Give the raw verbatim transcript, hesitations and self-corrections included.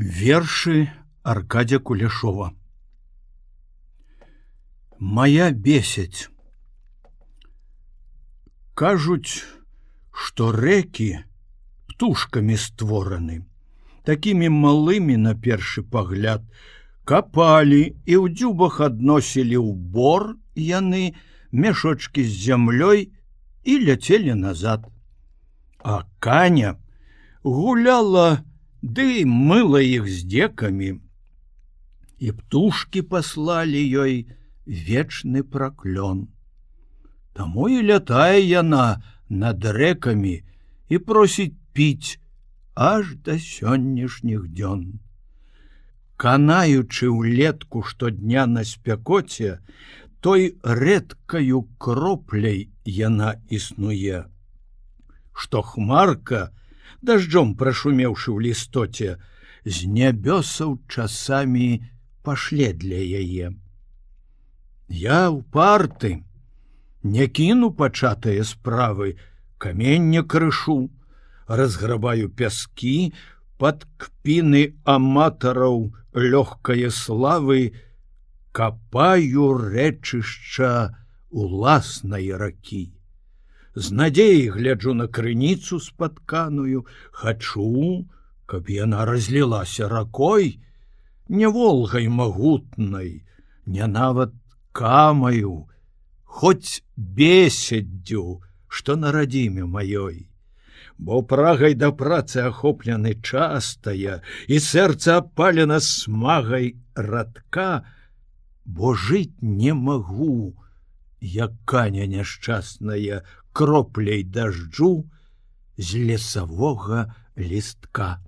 Вершы Аркадзя Кулешова. Моя бесяць. Кажуць, што рэкі птушкамі створаны, такімі малымі на першы пагляд, капалі і ў дзюбах адносілі ў бор яны мяшочкі з зямлёй і ляцелі назад. А Каня гуляла ды мыла іх здзекамі, і птушкі паслалі ёй вечны праклён. Таму і лятае яна над рэкамі і просіць піць аж да сённяшніх дзён. Канаючы ўлетку штодня на спякоце, той рэдкаю кропляй яна існуе, што хмарка, дажджом прашумеўшы ў лістоце, з нябёсаў часамі пашле для яе. Я ўпарты, не кіну пачатыя справы, каменне крышу, разграбаю пяскі, пад кпіны аматараў лёгкае славы, капаю рэчышча уласнай ракі. З надзеяй гляджу на крыніцу спатканую, хачу, каб яна разлілася ракой, не волгай магутнай, не нават камаю, хоць бесяддзю, што на радзіме маёй. Бо прагай да працы ахоплены частая, і сэрца апалена смагай радка, бо жыць не магу, як Каня няшчасная, кропляй дажджу з лесавога лістка.